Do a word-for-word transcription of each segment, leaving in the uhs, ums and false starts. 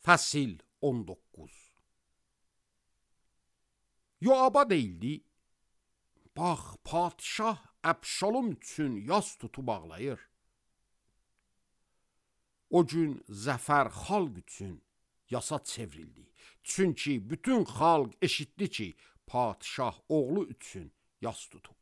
Fəsil on doqquz. Yoaba deyildi, bax, padişah Əbşalom üçün yas tutub ağlayır. O gün zəfər xalq üçün yasa çevrildi. Çünki bütün xalq eşitdi ki, padişah oğlu üçün yas tutub.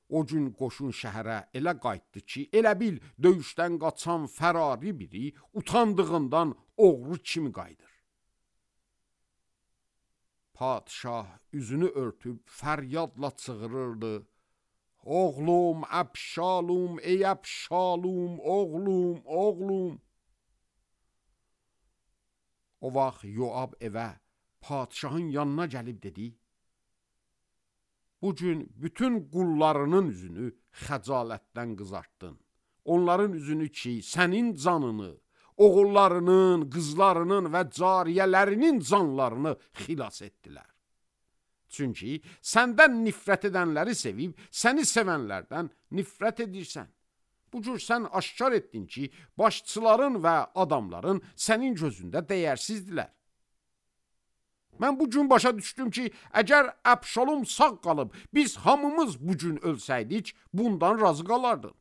O gün qoşun şəhərə elə qayıtdı ki, elə bil döyüşdən qaçan fərari biri utandığından oğru kimi qayıdır. Padişah üzünü örtüb fəryadla çığırırdı. Oğlum, Əbşalom, ey Əbşalom, oğlum, oğlum. O vaxt Yoab evə, padişahın yanına gəlib dedi, bugün bütün qullarının üzünü xəcalətdən qızartdın. Onların üzünü ki, sənin canını, oğullarının, qızlarının və cariyələrinin canlarını xilas etdilər. Çünki səndən nifrət edənləri sevib, səni sevənlərdən nifrət edirsən. Bu cür sən aşkar etdin ki, başçıların və adamların sənin gözündə dəyərsizdirlər. Mən bu gün başa düşdüm ki, əgər Əbşalom sağ qalıb, biz hamımız bu gün ölsəydik, bundan razı qalardın.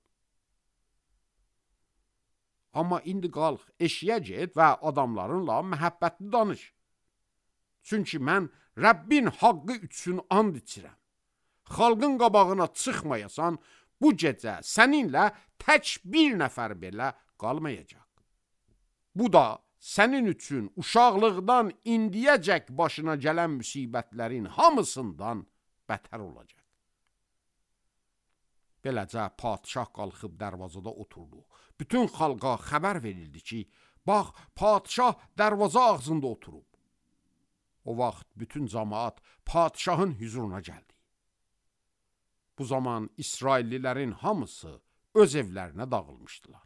Amma indi qalx, eşiyə get və adamlarınla məhəbbətli danış. Çünki mən Rəbbin haqqı üçün and içirəm. Xalqın qabağına çıxmayasan, bu gecə səninlə tək bir nəfər belə qalmayacaq. Bu da sənin üçün uşaqlıqdan indiyəcək başına gələn müsibətlərin hamısından bətər olacaq. Beləcə padişah qalxıb dərvazada oturdu. Bütün xalqa xəbər verildi ki, bax, padişah dərvaza ağzında oturub. O vaxt bütün cəmaət padişahın hüzuruna gəldi. Bu zaman İsraillilərin hamısı öz evlərinə dağılmışdılar.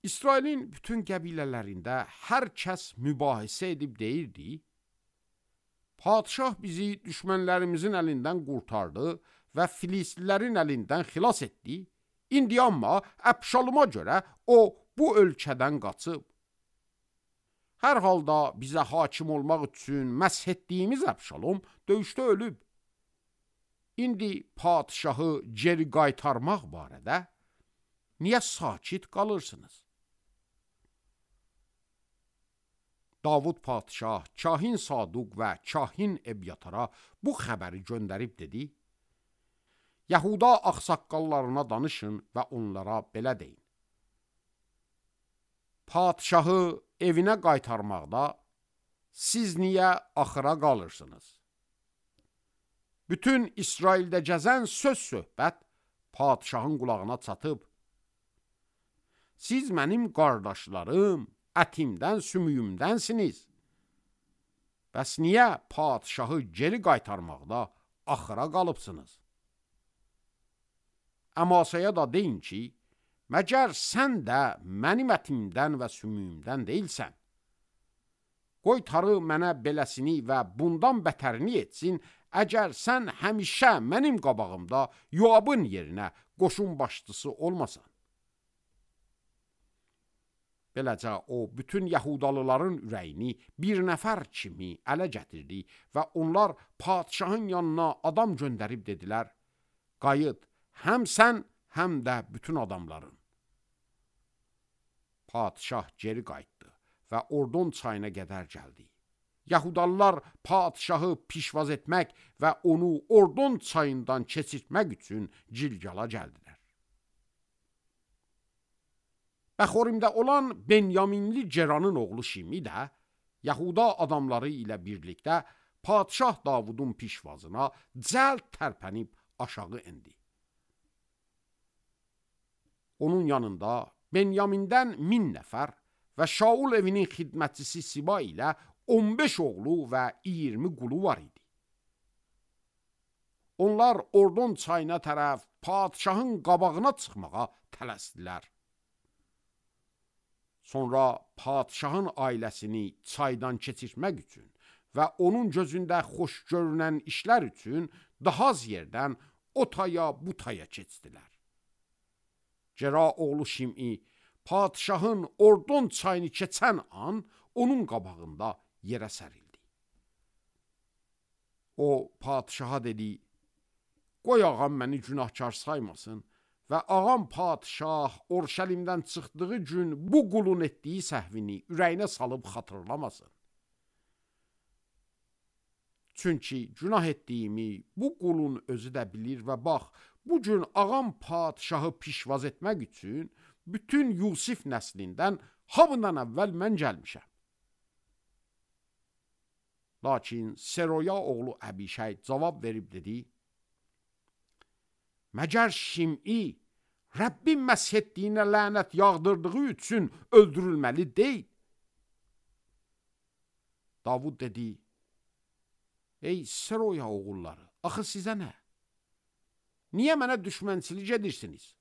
İsrailin bütün qəbilələrində hər kəs mübahisə edib deyirdi, padişah bizi düşmənlərimizin əlindən qurtardı və Filistlilərin əlindən xilas etdi. İndi amma Əbşaloma görə o bu ölkədən qaçıb. Hər halda bizə hakim olmaq üçün məsh etdiyimiz Əbşalom döyüşdə ölüb. İndi padişahı geri qaytarmaq barədə niyə sakit qalırsınız? Davud padişah, kahin Saduq və kahin Ebyatara bu xəbəri göndərib dedi, Yahuda ağsaqqallarına danışın və onlara belə deyin. Padişahı evinə qaytarmaqda siz niyə axıra qalırsınız? Bütün İsraildə gəzən söz-söhbət padişahın qulağına çatıb. Siz mənim qardaşlarım, ətimdən, sümüyümdənsiniz. Bəs niyə padişahı geri qaytarmaqda axıra qalıbsınız? Əmasaya da deyin ki, məgər sən də mənim ətimdən və sümüyümdən deyilsən. Qoy tarı mənə beləsini və bundan bətərini etsin, əgər sən həmişə mənim qabağımda Yoabın yerinə qoşun başçısı olmasan. Beləcə o, bütün Yahudalıların ürəyini bir nəfər kimi ələ gətirdi və onlar padişahın yanına adam göndərib dedilər, qayıt, həm sən, həm də bütün adamların. Padişah geri qayıtdı və Ordon çayına qədər gəldi. Yahudalılar padişahı pişvaz etmək və onu Ordon çayından keçirtmək üçün Cilgala gəldilər. Bəxorimdə olan Benyaminli Ceranın oğlu Şimi də Yahuda adamları ilə birlikdə padişah Davudun pişvazına cəld tərpənib aşağı indi. Onun yanında Benyamindən min nəfər və Şaul evinin xidmətçisi Siba ilə on beş oğlu və iyirmi qulu var idi. Onlar Ordon çayına tərəf padişahın qabağına çıxmağa tələsdilər. Sonra padişahın ailəsini çaydan keçirmək üçün və onun gözündə xoş görünən işlər üçün daha az yerdən o taya bu taya keçdilər. Cəra oğlu Şim'i padşahın Ordon çayını keçən an onun qabağında yerə sərildi. O padşaha dedi, qoy ağam məni günahkar saymasın və ağam padşah Orşəlimdən çıxdığı gün bu qulun etdiyi səhvini ürəyinə salıb xatırlamasın. Çünki günah etdiyimi bu qulun özü də bilir və bax, bu gün ağam padşahı pişvaz etmək üçün bütün Yusif nəslindən hamıdan əvvəl mən gəlmişəm. Lakin Seroya oğlu Əbişəy cavab verib dedi, məgər Şim'i Rəbbin məsh etdiyinə lənət yağdırdığı üçün öldürülməli deyil. Davud dedi, ey Seroya oğulları, axı sizə nə? Niyə mənə düşmənçilik edirsiniz?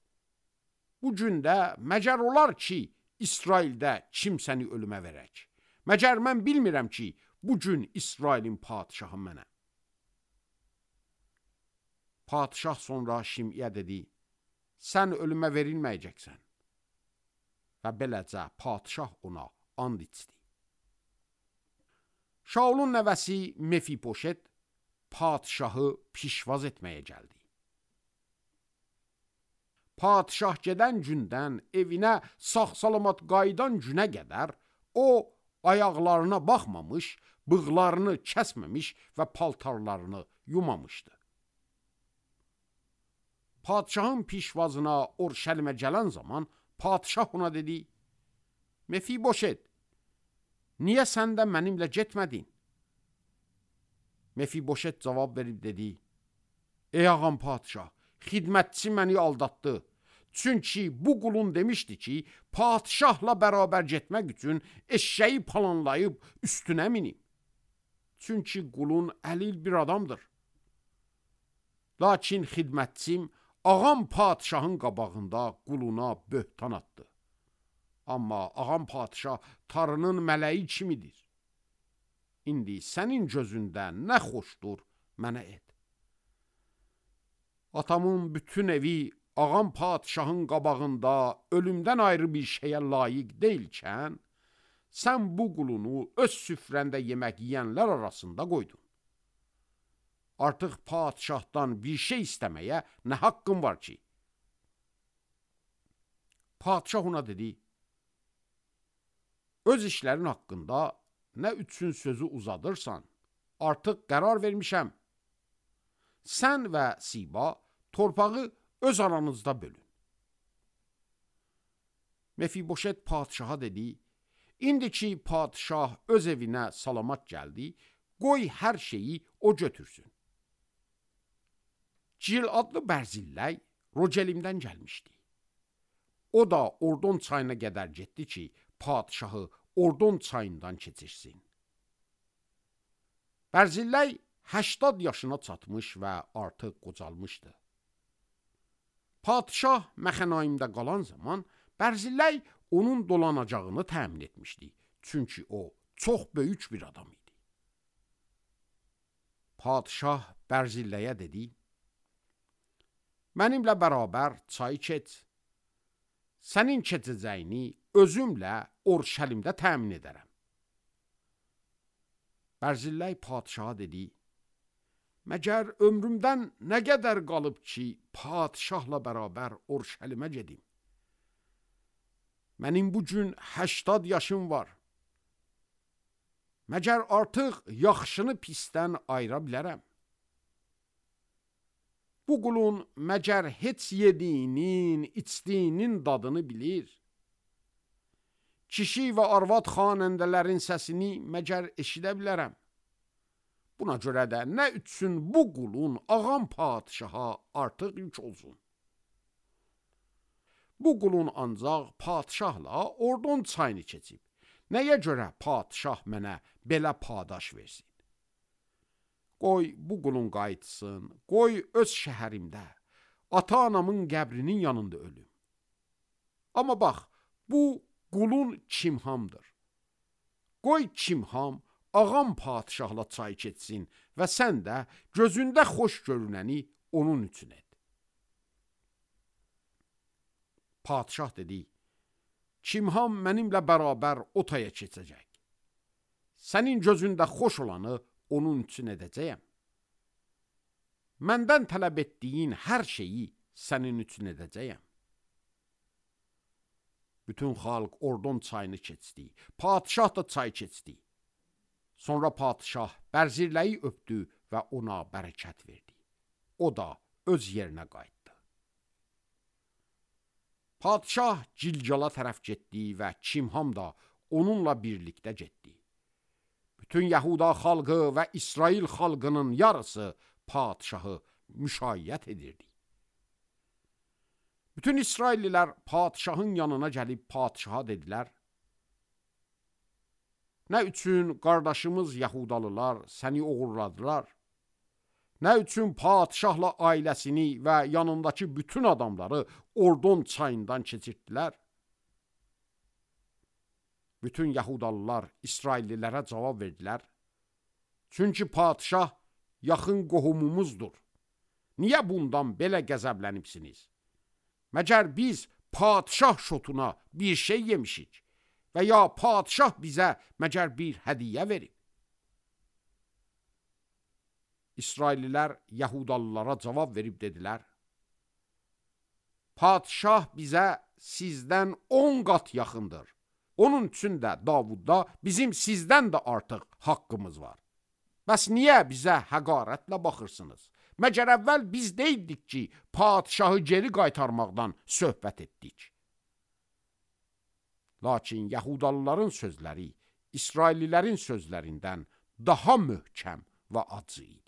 Bu gündə məcər olar ki, İsraildə kimsəni ölümə verək. Məcər mən bilmirəm ki, bu gün İsrailin padşahı mənə. Padşah sonra Şimiyə dedi, sən ölümə verilməyəcəksən. Və beləcə padşah ona and içdi. Şaulun nəvəsi Mefiboşet padşahı pişvaz etməyə gəldi. Padşah gedən gündən evinə sağ-salamat qayıdan günə qədər o ayaqlarına baxmamış, bığlarını kəsməmiş və paltarlarını yumamışdı. Padşahın pişvazına Orşəlimə gələn zaman padşah ona dedi, Mefiboşet, niyə sən də mənimlə getmədin? Mefiboşet cavab verib dedi, ey ağam padşah, xidmətçi məni aldatdı. Çünki bu qulun demişdi ki, padşahla bərabər getmək üçün eşşəyi planlayıb üstünə minim. Çünki qulun əlil bir adamdır. Lakin xidmətçim ağam padşahın qabağında quluna böhtan atdı. Amma ağam padşah tarının mələyi kimidir. İndi sənin gözündə nə xoşdur, mənə et. Atamın bütün evi ağam padşahın qabağında ölümdən ayrı bir şeyə layiq deyilkən, sən bu qulunu öz süfrəndə yemək yiyənlər arasında qoydun. Artıq padşahdan bir şey istəməyə nə haqqın var ki? Padşah ona dedi, öz işlərin haqqında nə üçün sözü uzadırsan, artıq qərar vermişəm. Sən və Siba torpağı öz aranızda bölün. Mefiboşet padşaha dedi, indi ki padşah öz evinə salamat gəldi, qoy hər şeyi o götürsün. Cil adlı Bərzilləy Rogelimdən gəlmişdi. O da Ordon çayına qədər getdi ki, padşahı Ordon çayından keçirsin. Bərzilləy həştad yaşına çatmış və artıq qocalmışdı. Padşah Məxənaimdə qalan zaman Bərzilləy onun dolanacağını təmin etmişdi. Çünki o çox böyük bir adam idi. Padşah Bərzilləyə dedi, mənimlə bərabər çayı keç. Sənin keçəcəyini özümlə Orşəlimdə təmin edərəm. Bərzilləy padşaha dedi, məgər ömrümdən nə qədər qalıb ki, padşahla bərabər Orşəlimə gedim? Mənim bu gün həştad yaşım var. Məgər artıq yaxşını pisdən ayıra bilərəm? Bu qulun məgər heç yediyinin, içdiyinin dadını bilir? Kişi və arvad xanəndələrin səsini məgər eşidə bilərəm? Buna görə də nə üçün bu qulun ağam padşaha artıq yük olsun? Bu qulun ancaq padşahla Ordon çayını keçib. Nəyə görə padşah mənə belə padaş versin? Qoy bu qulun qayıtsın, qoy öz şəhərimdə, ata-anamın qəbrinin yanında ölüm. Amma bax, bu qulun Kimhamdır. Qoy Kimham ağam padşahla çay keçsin və sən də gözündə xoş görünəni onun üçün et. Padişah dedi, Kimham mənimlə bərabər o taya keçəcək. Sənin gözündə xoş olanı onun üçün edəcəyəm. Məndən tələb etdiyin hər şeyi sənin üçün edəcəyəm. Bütün xalq Ordon çayını keçdi. Padişah da çay keçdi. Sonra padişah bərzirləyi öpdü və ona bərəkət verdi. O da öz yerinə qayıtdı. Padişah Gilgala tərəf getdi və Kimham da onunla birlikdə getdi. Bütün Yahuda xalqı və İsrail xalqının yarısı padişahı müşayiət edirdi. Bütün İsraillilər padişahın yanına gəlib padişaha dedilər, nə üçün qardaşımız Yahudalılar səni oğurladılar? Nə üçün padişahla ailəsini və yanındakı bütün adamları Ordon çayından keçirdilər? Bütün Yahudalılar İsraillilərə cavab verdilər. Çünki padişah yaxın qohumumuzdur. Niyə bundan belə qəzəblənibsiniz? Məgər biz padişah şotuna bir şey yemişik və ya padişah bizə məgər bir hədiyyə verib? İsraillilər Yahudalılara cavab verib dedilər, padişah bizə sizdən on qat yaxındır. Onun üçün də Davudda bizim sizdən də artıq haqqımız var. Bəs niyə bizə həqarətlə baxırsınız? Məgər əvvəl biz deyildik ki, padişahı geri qaytarmaqdan söhbət etdik. Lakin Yahudalıların sözləri İsraillilərin sözlərindən daha möhkəm və acı idi.